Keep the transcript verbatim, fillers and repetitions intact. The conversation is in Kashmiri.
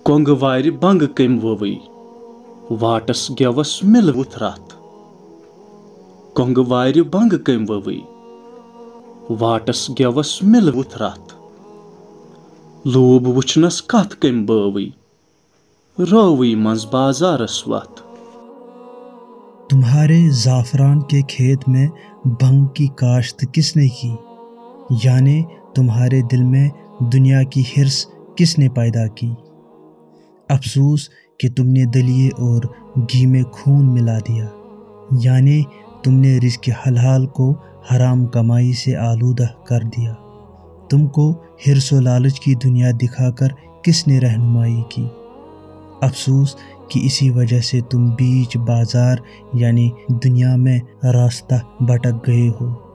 کۄنٛگہٕ وارِ بنٛگہٕ کٔمۍ وٲوٕے، واٹس گٮ۪وس مِلہٕ وُتھ رتھ۔ کۄنٛگہٕ وارِ بنٛگہٕ کٔمۍ وٲوٕے، واٹس گٮ۪وس مِلہٕ وُتھ رتھ۔ لوٗب وُچھنس کتھ کٔمۍ بٲوٕے، رٲوٕے منٛز بازارس وتھ۔ تمہارے زعفران کے کھیت میں بھنگ کی کاشت کس نے کی؟ یعنی تمہارے دل میں دنیا کی حرص کس نے پیدا کی؟ افسوس کہ تم نے دلیے اور گھی میں خون ملا دیا، یعنی تم نے رزق حلال کو حرام کمائی سے آلودہ کر دیا۔ تم کو حرص و لالچ کی دنیا دکھا کر کس نے رہنمائی کی؟ افسوس کہ اسی وجہ سے تم بیچ بازار یعنی دنیا میں راستہ بھٹک گئے ہو۔